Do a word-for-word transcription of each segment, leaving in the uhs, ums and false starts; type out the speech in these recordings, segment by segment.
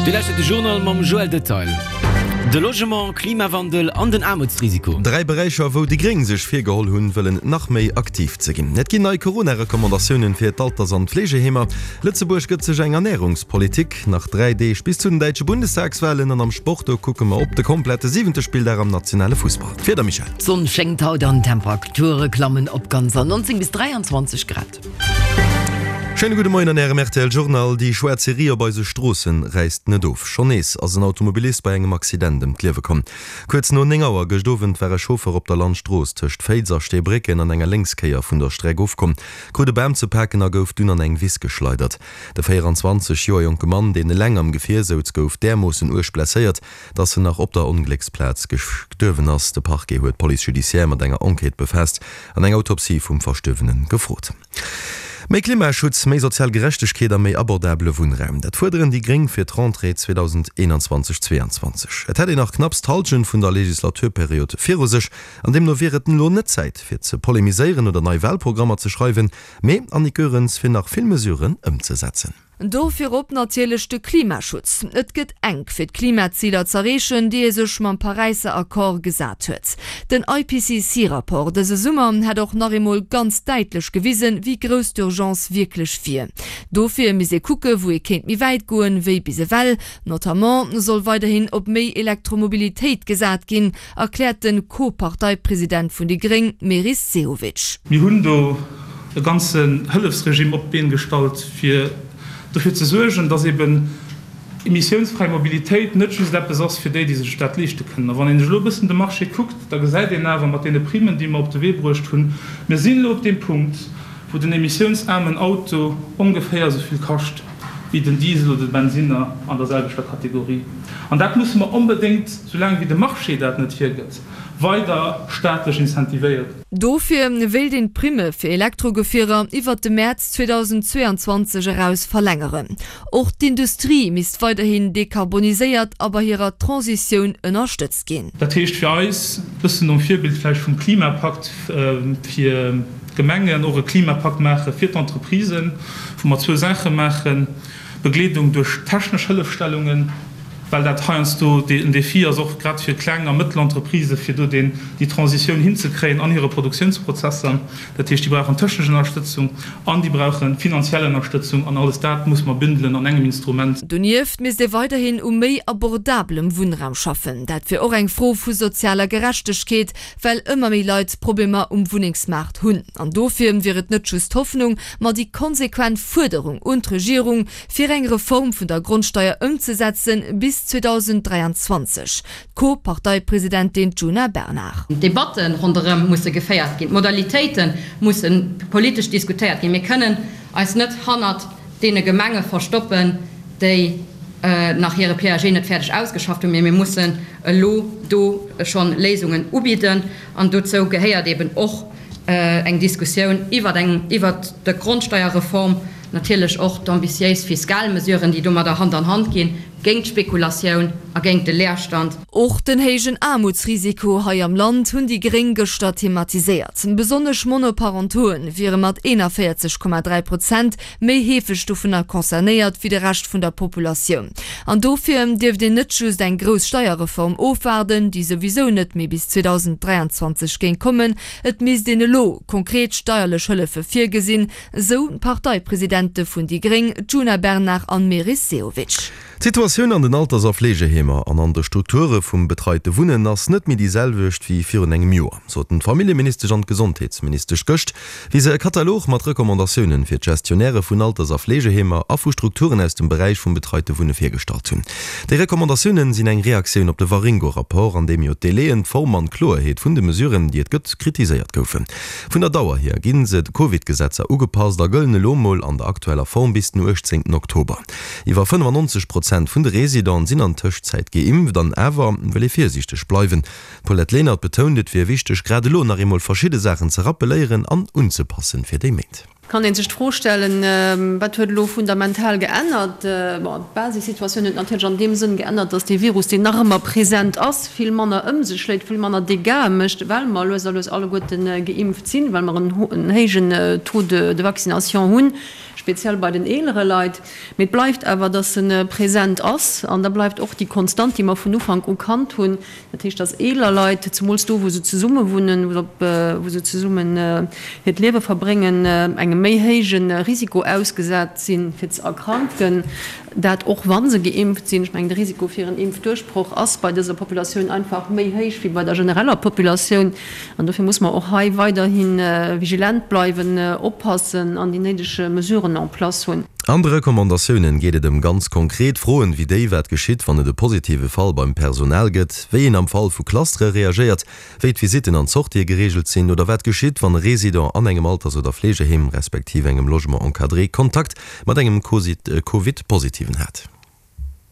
Dir lauschtert de Journal mam Joël Detail. De Logement, Klimawandel an den Aarmutsrisiko. Dräi Beräicher, wou déi Gréng sech virgeholl hunn, wëllen nach méi aktiv ze ginn. Et ginn nei Corona-Recommandatiounen fir d'Alters an d'Fleegeheemer. Lëtzebuerg gëtt sech eng Ernärungspolitik. Nach dräi Deeg bis zu den däitsche Bundestagswalen an am Sport, do kucke mer op de komplette siwente Spilldag am nationale Fussball. D'Wieder, Michèle. D'Sonn schéngt haut an d'Temperature klammen op ganzer neunzéng bis dräianzwanzeg Grad. Schéine gudde Moien an Ärem rtl Journal. Déi schwaarz Serie op eise Stroossen räisst net of. Schonn nees ass en Automobilist bei engem Accident ëm d'Liewe komm. Kuerz no néng Auer gëscht Owend war e Chauffer op der Landstrooss tëscht Féiz a Steebrécken an enger Lénkskéier vun der Streck ofkomm, krut e Bam ze paken a gouf dunn an eng Wiss geschleidert. De véieranzwanzeg Joer jonke Mann, deen eleng am Gefier souz, gouf därmoossen uerg blesséiert, dass en nach op der Onglécksplaz gestuerwen ass. De Parquet huet d'Police judiciaire mat enger Enquête befaasst an eng Autopsie vum Verstuerwene gefrot. Méi Klimaschutz, méi sozial Gerechtegkeet a méi abordabele Wunnraum, dat fuerderen déi Gréng fir d'Rentrée zweedausendeenanzwanzeg zweeanzwanzeg. Et hätt een nach knapps d'Hallschent vun der Legislaturperiod viru sech an deemno wier et elo net Zäit fir ze polemiséieren oder nei Walprogrammer ze schreiwen, mee, Annick Goerens, fir nach vill Mesuren ëmzesetzen. Do virop natierlech de Klimaschutz. Et gëtt enk, fir d'Klimaziler z'erreechen, déi ee sech mam Paräisser Accord gesat huet. Den I P C C Rapport dëse Summer hätt och nach eemol ganz däitlech gewisen, wéi grouss d'Urgence wierklech wier. Dofir misst ee kucke wou ee kéint méi wäit goen, wéi bis ewell. Notamment soll weiderhin op méi Elektromobilitéit gesat ginn, erkläert de Co-Parteipresident vun déi Gréng, Meris Sehovic. Mir hunn do e ganzen Hëllefsregime op d'Been gestallt, fir dofir ze suergen, dass eben emissiounsfräi Mobilitéit net just eppes ass fir déi, déi sech dat leeschte kënnen. A wann een sech elo e bëssen de Marché kuckt, da gesäit een awer mat deene Primen, déi mer op de Wee bruecht hunn, mir sinn elo op deem Punkt, wou den emissiounsaarmen Auto ongeféier esou vill kascht wéi den Diesel oder de Bensinner an der selwechter Kategorie. An dat musse mer onbedéngt, soulaang wéi de Marché dat net hiergëtt, weider staatlech incentivéieren. Dofir wéilt een d'Primme fir Elektrogefierer iwwert de Mäerz zweedausendzweeanzwanzeg eraus verlängeren. Och d'Industrie misst weiderhin dekarboniséiert a bei hirer Transitioun ënnerstëtzt ginn. Dat heescht fir eis, e bëssen nom Virbild vläicht vum Klimapakt fir d'Gemengen, och e Klimapakt maache fir d'Entreprisen, wou mer zwou Saache maachen, Begleedung duerch technesch Hëllefstellungen, well dat heiansdo en Défi ass, och grad fir kleng a mëttel Entreprisë fir do déi Transitioun hinzekréien an hire Produktiounsprozesser. Dat heescht, déi brauchen technesch Ënnerstëtzung an déi brauche finanziell Ënnerstëtzung an alles dat muss mer bündelen an engem Instrument. Donieft misst ee weiderhin u méi abordabelem Wunnraum schaffen. Dat wier och eng Fro vu sozialer Gerechtegkeet, well ëmmer méi Leit Problemer um Wunnengsmaart hunn. An dofir wier et net just d'Hoffnung, ma déi konsequent Fuerderung un d'Regierung, fir eng Reform vun der Grondsteier ëmzesetzen bis zweedausenddräianzwanzeg. D'Co-Parteipresidentin Djuna Bernard. D'Debatte ronderëm musse geféiert ginn, d'Modalitéite musse politesch diskutéiert ginn. Mir kënnen eis net hannert deene Gemenge verstoppen, déi nach hire P A G net fäerdeg ausgeschafft hunn, mee mir mussen elo do scho Léisungen ubidden. An dozou gehéiert eeben och eng Diskussioun iwwert eng, iwwert d'Grondsteierreform, natierlech och d'ambitiéis fiskal Mesuren, déi domadder Hand an Hand ginn, géint d'Spekulatioun a géint de Leerstand. Och den héijen Aarmutsrisiko hei am Land hunn déi Gréng gëschter thematiséiert. Besonnesch Monoparentoen wiere mat eenanvéierzeg Komma dräi Prozent méi heefeg dovunner concernéiert wéi de Rescht vun der Populatioun. An dofir dierft een net just eng grouss Steierreform ofwaarden, déi souwisou net méi bis zweedausenddräianzwanzeg géing kommen. Et misst een elo konkret steierlech Hëllefe virgesinn, esou d'Parteipresidente vun déi Gréng, Djuna Bernard an Meris Sehovic. D'Situatioun an den Alters a Fleegeheemer an an de Strukture vum betreite Wunnen ass net méi déi selwecht wéi virun engem Joer, soten d'Familljeministesch an d'Gesondheetsministesch gëscht, wéi se e Katalog mat Recommandatiounen fir d'Gestionnairë vun Alters a Fleegeheemer a vu Strukturen aus dem Beräich vum betreite Wunne virgestallt hunn. Déi Recommandatiounen sinn eng Reaktioun op de Waringo-Rapport, an deem jo d'Délaien, d'Form an d'Kloerheet vun de Mesuren, déi et gëtt, kritiséiert goufen. Vun der Dauer hier gi se de Covid-Gesetzer ugepasst a gëllen elo mol an der aktueller Form bis den uechtzéngten Oktober. Iwwer fënnefannonzeg Prozent vun de Residenten sinn an Tëschtzäit geimpft an awer wëll ee virsiichteg bleiwen. D'Paulette Lenert betount, et wier wichteg, grad elo nach eemol verschidde Saachen ze rappeléieren an unzepassen fir déi Méint. Kann ee sech d'Fro stellen, Wat huet elo fundamental geännert? Bon, d'Basissituatioun huet natierlech an deem Sënn geännert, datt dee Virus, deen nach ëmmer present ass, vill manner ëm sech schléit, vill manner Dégâtë mécht, well mer lues a lues alleguerte geimpft sinn, well mer en héijen Taux de vaccination hunn, speziell bei den eelere Leit. Mee et bleift awer, datt e present ass an da bleift och déi Konstant, déi mer vun Ufank u kannt hunn, dat heescht, datt eeler Leit, zemools do, wou se zesumme wunnen, wou se zesummen hiert Liewe verbréngen, engem méi héije Risiko ausgesat sinn, fir ze erkranken, dat och wa se geimpft sinn. Ech mengen, de Risiko fir en Impfduerchbroch ass bei dëser Populatioun einfach méi héich wéi bei der genereller Populatioun. An dofir muss mer och hei weiderhi vigilent bleiwen, oppassen an déi néideg Mesuren en place hunn. An de Recommandatiounen geet et ëm ganz konkret Froen, wéi déi, wat geschitt, wann et e positive Fall beim Personal gëtt, wéi een am Fall vu Clustere reagéiert, wéi d'Visitten an d'Sortië gereegelt sinn oder wat geschitt, wann e Resident an engem Alters oder Fleegeheem respektiv engem Logement encadré Kontakt mat engem Covid-Positiven hat.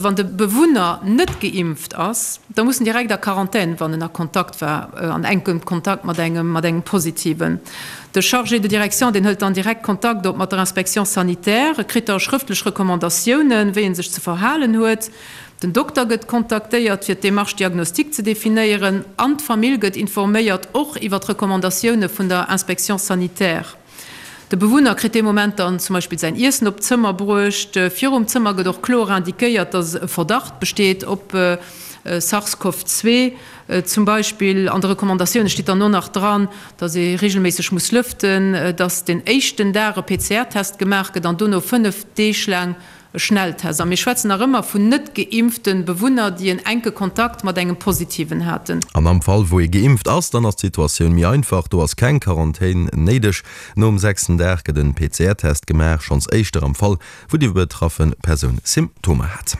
Wann de Bewunner net geimpft ass, da muss en direkt a Quarantän, wann en a Kontakt war, an enkem Kontakt mat engem mat engem Positiven. De Chargé de direction, deen hëlt dann direkt Kontakt op mat der Inspection sanitaire, e kritt da schrëftlech Recommandatiounen, wéi en sech ze verhalen huet. Den Dokter gëtt kontaktéiert, fir d'Démarche diagnostique ze definéieren, an d'Famill gëtt informéiert, och iwwer d'Recommandatioune vun der Inspection sanitaire. De Bewunner kritt dee Moment dann zum Beispill säin Iessen op d'Zëmmer bruecht. Virum Zëmmer gëtt och kloer indiquéiert, dass e Verdacht besteet op Sars-Cov zwee zum Beispill. An de Recommandatioune steet dann och nach dran, dass ee reegelméisseg muss lëften, dass den éischten Dag e P C R-Test gemaach gëtt an dono fënnef Deeg laang E Schnelltest. A mir schwätzen nach ëmmer vun net geimpfte Bewunner, déi en enke Kontakt mat engem Positiven haten. An am Fall wou ee geimpft ass, dann ass d'Situatioun méi einfach, do ass keng Quarantän néideg. Nom sechsten Dag gëtt en P C R-Test gemaach, schonns éischter am Fall wou déi betraffe Persoun Symptomer hat.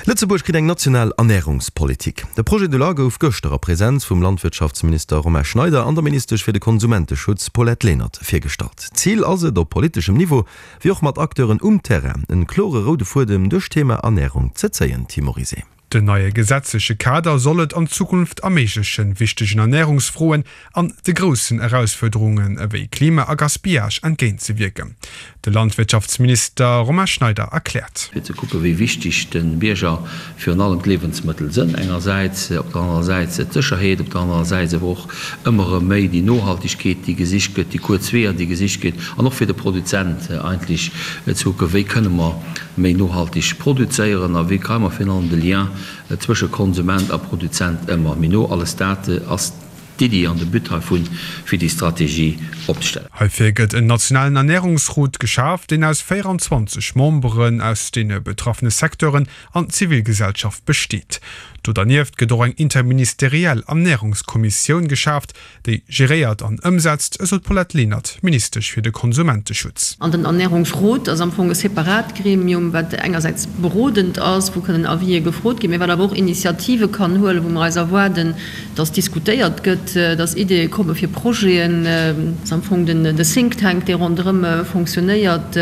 Lëtzebuerg kritt eng national Ernärungspolitik. De Projet de loi gouf gëschter a Presenz vum Landwirtschaftsminister Romain Schneider an der Ministesch fir de Konsumenteschutz Paulette Lenert virgestallt. Zil ass et, op politeschem Niveau wéi och mat Acteuren um Terrain en klore roude Fuedem duerch d'Thema Ernärung ze zéien. Tim Morizet. Den neie gesetzleche Kader soll et an Zukunft erméiglechen, wichtegen Ernärungsfroen an de groussen Erausfuerderungen ewéi Klima a Gaspillage entgéintzewierken. De Landwirtschaftsminister Romain Schneider erkläert. Fir ze kucken, wéi wichteg de Bierger virun allem d'Liewensmëttel sënn engersäits, op der anerer Säit d'Sécherheet, op der anerer Säit awer och ëmmer erëm méi déi Nohaltegkeet, déi gesicht gëtt, déi kuerz Weeër, déi gesicht ginn, an och fir de Produzent eigentlech ze kucken, wéi kënne mer méi nohalteg produzéieren a wéi kréie mer virun allem de Lien zwësche Konsument a Produzent ëmmer méi no. Alles dat ass d'Iddi an de But heivun, fir déi Strategie opzestellen. Heifir gëtt en nationalen Ernärungsrot geschaf, deen aus véieranzwanzeg Memberen aus deene betraffene Secteuren an Zivilgesellschaft besteet. Do dernieft gëtt och eng interministeriell Ernärungskommissioun geschaaft, déi geréiert an ëmsetzt, esou d'Paulette Lenert, Ministesch fir de Konsumenteschutz. An den Ernärungsrot ass am Fong e separat Gremium, wat engersäits berodend ass, wou kënnen Avisë gefrot ginn, mä wat awer och Initiative kann huelen, wou mer eis erwaarden, dass diskutéiert gëtt, dass Ideeë komme fir Projeten. Dat ass am Fong den Think Tank, dee ronderëm fonctionnéiert.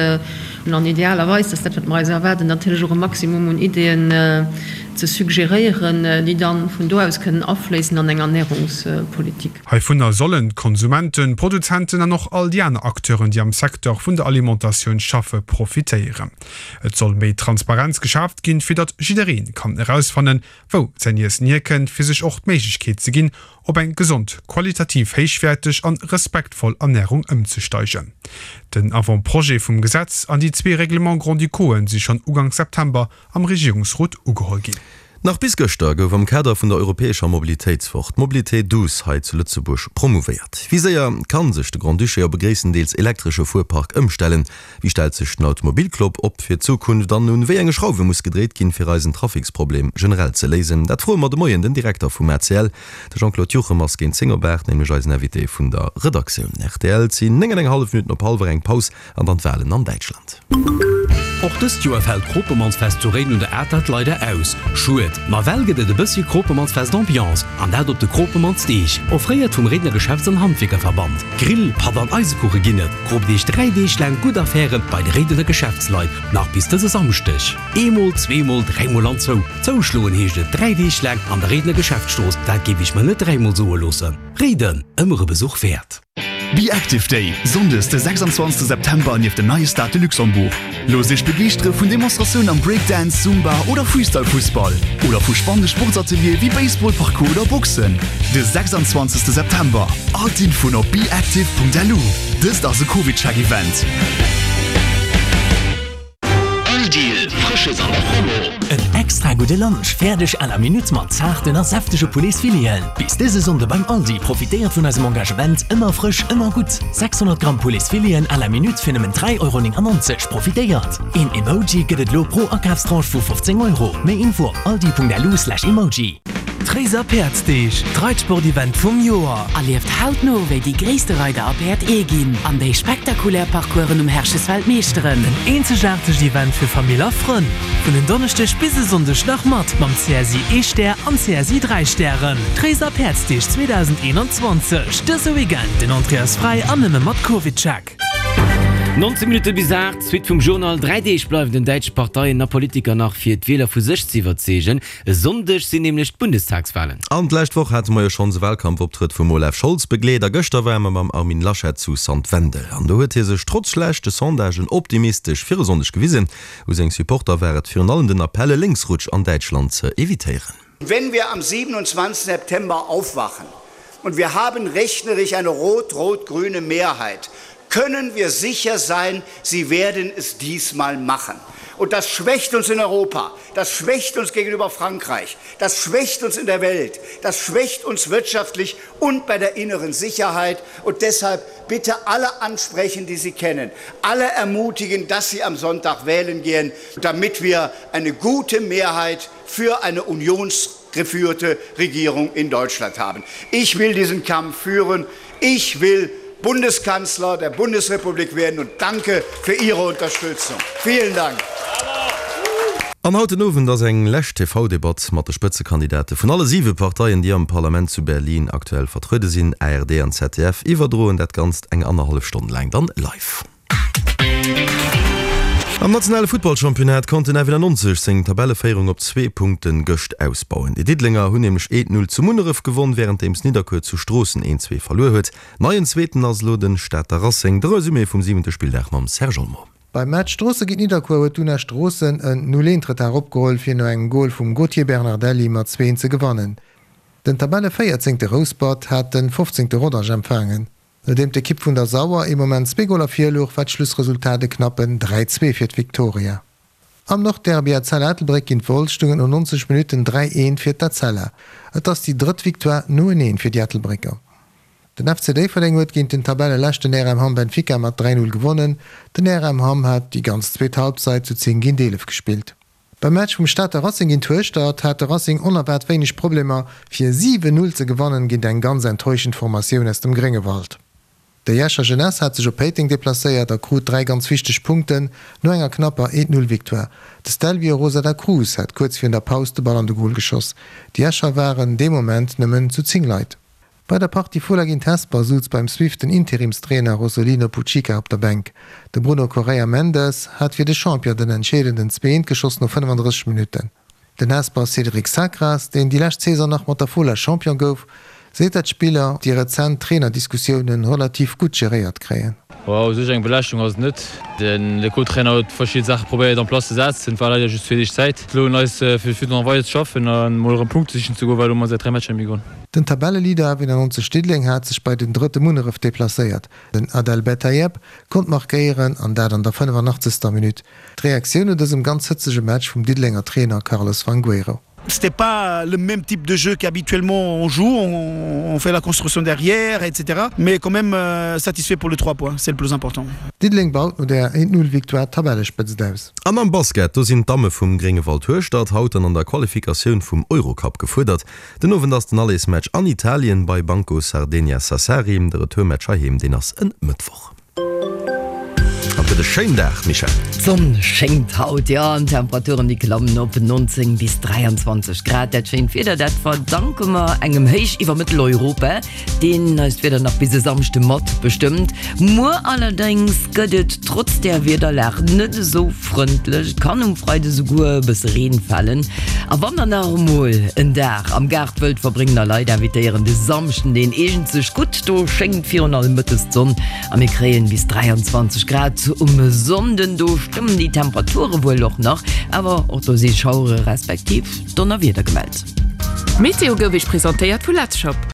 An idealerweis, dat ass dat, wat mer eis erwaarden, natierlech och e Maximum un Ideeën ze suggeréieren, déi dann vun do aus kënnen afléissen an eng Ernährungspolitik. Heivunner sollen d'Konsumenten, d'Produzenten an och all déi aner Acteuren, déi am Secteur vun der Alimentatioun schaffe, profitéieren. Et soll méi Transparenz geschaaft ginn, fir datt jidderee kann erausfannen, wou säin Iessen hierkënnt, fir sech och d'Méiglechkeet ze ginn, op eng gesond, qualitativ héichwäerteg an respektvoll Ernärung ëmzesteigen. Den Avant-projet vum Gesetz an déi zwee Règlements grand-ducauxen si schonn Uganks September am Regierungsrot ugeholl ginn. Nach bis gëschter gouf am Kader vun der europäescher Mobilitéitswoch d'Mobilité douce hei zu Lëtzebuerg promouvéiert. Wéi séier kann sech de Grand-Duché op e gréisstendeels elektresche Fuerpark ëmstellen? Wéi stellt sech den Automobilclub op fir d'Zukunft an un wéi enge Schrauwe muss gedréit ginn, fir eisen Traficsproblem generell ze léisen? Dat froe mer de Moien den Direkter vum A C L. De Jean-Claude Juchem ass géint zéng op aacht nämlech eisen Invité vun der Redaktioun. Rtl, Et sinn néng an eng hallef Minutten op hallwer eng. Paus an dann d'Walen an Däitschland. Och dëst Joer fält d'Kropemannsfest zu Réiden un der Atert leider aus. Schued, ma well gëtt et e bëssche Kropemannsfest-Ambiance, an dat op de Kropemannsdeeg, offréiert vum Réidener Geschäfts an Handwierkerverband. Grill, Patt an Eisekuche ginn et. Kroopt iech dräi Deeg laang gutt Affäre bei de Réidener Geschäftsleit, nach bis dëse Samschdeg. Eemol, zweemol, dräimol an zou. Zouschloen heescht et dräi Deeg laang an der Réidener Geschäftsstrooss, dat géif ech mer net dräimol soe loossen. Réiden, ëmmer e Besuch wäert. Be Active Day, Sonndes de sechsundzwanzegste September nieft dem neie Stade de Luxembourg. Loosst Iech begeeschtere vun Demonstratiounen am Breakdance, Zumba oder Freestyle-Fussball oder vu spannende Sportsateliere wéi Baseball, Parkour oder Boxen. De sechsundzwanzegste September. All d'Infoen op beactive.lu. Dëst ass e CovidCheck-Event. All Deal, Frësches an der Promo! En extra gudde Lunch, fäerdeg à la minute mat zaarten a säftege Pouletsfileten. Bis dëse Sonnde beim Aldi, profitéiert vun eisem Engagement Ëmmer frësch, ëmmer gutt! sechshonnert Gramm Pouletsfileten à la minute fir nëmmen dräi Euro néngannonzeg, profitéiert! Een Emoji gëtt et lo pro Akafstranche vu fofzéng Euro. Méi Info op aldi.lu slash emoji. D'Réiser Päerdsdeeg, d'Reitsport-Event vum Joer! Erlieft hautno, wéi déi gréisste Reider a Päerd ee ginn an déi spektakulär Parcoursen um Herchesfeld meeschteren. En eenzegaartegt Event fir Famill a Frënn. Vun en Donneschdeg bis e Sonndeg nach mat mam C S I ee Stär an C S I dräi Stären. D'Réiser Päerdsdeeg zweedausendeenanzwanzeg, dëse Weekend, den Entrée ass fräi an nëmme mat CovidCheck. Nonzéng Minutte bis aacht, d'Suite vum Journal. Dräi Deeg bleiwen den däitsche Parteien a Politiker nach fir d'Wieler vu sech ze iwwerzeegen. E Sonndeg sinn nämlech d'Bundestagswalen. An d'lescht Woch hate mer jo schonns e Walkampfoptrëtt vum Olaf Scholz begleet a gëschter ware mer mam Armin Laschet zu Sand Wendel. An do huet hie sech trotz schlechte Sondagen optimistesch fir e Sonndeg gewisen. U seng Supporter war et virun allem den Appell, e Lénksrutsch an Däitschland ze evitéieren. Wenn wir am siebenundzwanzigsten September aufwachen und wir haben rechnerisch eine rot-rot-grüne Mehrheit, können wir sicher sein, sie werden es diesmal machen. Und das schwächt uns in Europa, das schwächt uns gegenüber Frankreich, das schwächt uns in der Welt, das schwächt uns wirtschaftlich und bei der inneren Sicherheit. Und deshalb bitte alle ansprechen, die Sie kennen, alle ermutigen, dass sie am Sonntag wählen gehen, damit wir eine gute Mehrheit für eine unionsgeführte Regierung in Deutschland haben. Ich will diesen Kampf führen. Ich will Bundeskanzler der Bundesrepublik werden und danke für Ihre Unterstützung. Vielen Dank. An haut den Owend ass eng lescht T V-Debatt mat de Spëtzekandidate vun alle siwe Parteien, déi am Parlament zu Berlin aktuell vertruede sinn. A R D an Z D F iwwerdroen dat Ganzt eng annerhallef Stonn laang dann live. Am nationale Futtballchampionnat konnt den F nonzeg seng Tabelleféierung op zwee Punkte gëscht ausbauen. Déi Diddelenger hunn nämlech eent Null zu Munneref gewonn, wärenddeems Nidderkuer zu Stroossen eent zwee verluer huet. Neien Zweeten ass elo de Stater Racing. De Resumé vum siwente Spilldag mam Serge Olmo. Beim Match Stroosse géint Nidderkuer huet d'Una Stroossen en Null eent Retard opgeholl, fir no engem Gol vum Gauthier Bernardelli mat zwee eent ze gewannen. Den Tabelleféierzéngte Rouspert hat de fofzéngte Rodange empfaangen. Nodeem d'Ekipp vun der Sauer ee Moment zwee Goler vir louch, war d'Schlussresultat e knappen dräi zwee fir d'Victoria. Am Nordderby Etzella Ettelbréck géint Wolz stoung et no nonzeg Minutten dräi eent fir d'Etzella. Et ass déi drëtt Victoire noeneen fir déi Ettelbrécker. Den F C Déifferdeng huet géint den Tabelleleschten R M Hamm Benfica mat dräi Null gewonnen. Den R M Hamm hat déi ganz zweet Halbzeit zu zéng géint eelef gespillt. Beim Match vum Stater Racing géint Hueschtert hat de Racing onerwaart wéineg Problemer, fir siwen Null ze gewannen géint eng ganz enttäuschend Formatioun aus dem Gréngewald. Déi Escher Jeunesse hat sech op Péiteng deplacéiert a krut dräi ganz wichteg Punkten no enger knapper eent Null Victoire. De Stelvio Rosa da Cruz hat kuerz virun der Paus de Ball an de Gol geschoss. Déi Escher waren dee Moment nëmmen zu zéng Leit. Bei der Partie Fola géint Hesper souz beim Swift den Interimstrainer Rosolino Puccica op der Bänk. De Bruno Correia Mendes hat fir de Champion den entscheedenden zwee eent geschoss no fënnefandrësseg Minutten. Den Hesper Cédric Sacras, deen déi lescht Saison nach mat der Fola Champion gouf, seet dat d'Spiller déi rezent Trainerdiskussiounen relativ gutt geréiert kréien. U sech eng Belaaschtung ass et net. Den de Co-Trainer huet verschidde Saache probéiert en place ze setzen, et war leider just zwee Deeg Zäit. Elo un eis fir fir nach weider ze schaffen an mol erëm Punkte sichen ze goen, well elo hu mer säit dräi Matcher net méi gewonnen. Den Tabelleleader F nonzeg Diddeleng hat sech bei den Drëtte Munneref deplacéiert. Den Adel Bettaieb konnt markéieren an dat an der fënnefanachtzeger Minutt. D'Reaktioun no dësem ganz hëtzege Match vum Diddelenger Trainer Carlos Fangueiro. C'était pas le même type de jeu qu'habituellement on joue, on, on fait la construction derrière, et cetera. Mais quand même euh, satisfait pour les trois points, c'est le plus important. Diddeleng baut no der eent Null Victoire d'Tabellespëtzt aus. An am Basket, do sinn d'Damme vum Gréngewald Hueschtert haut dann an der Qualifikatioun vum Eurocup gefuerdert. Den Owend ass den Allersmatch an Italien bei Banco Sardegna Sassari, de Retourmatch heiheem, deen ass en Mëttwoch. An gëtt e schéin Dag, Michèle. D'Sonn schéngt haut, jo, an d'Temperaturen déi klammen op neunzéng bis dräianzwanzeg Grad. Dat schéint Wieder, dat verdanke mer engem Héich iwwer Mëtteleuropa, deen eist Wieder nach bis e Samschde mat bestëmmt. Muer allerdéngs gëtt et trotz där Wiederlag net esou frëndlech, et kann um Freide souguer e bësse Reen falen. A wann der nach emol en Dag am Gaart wëllt verbréngen a Leit invitéieren, de Samschden deen eegent sech gutt, do schéngt virun allem mëttes d'Sonn a mir kréien bis dräianzwanzeg Grad. Um Sonnden do stëmmen déi Temperature wuel och nach, awer och do si Schauere respektiv Donnerwieder gemellt. D'Meteo gouf Iech presentéiert vu Letzshop.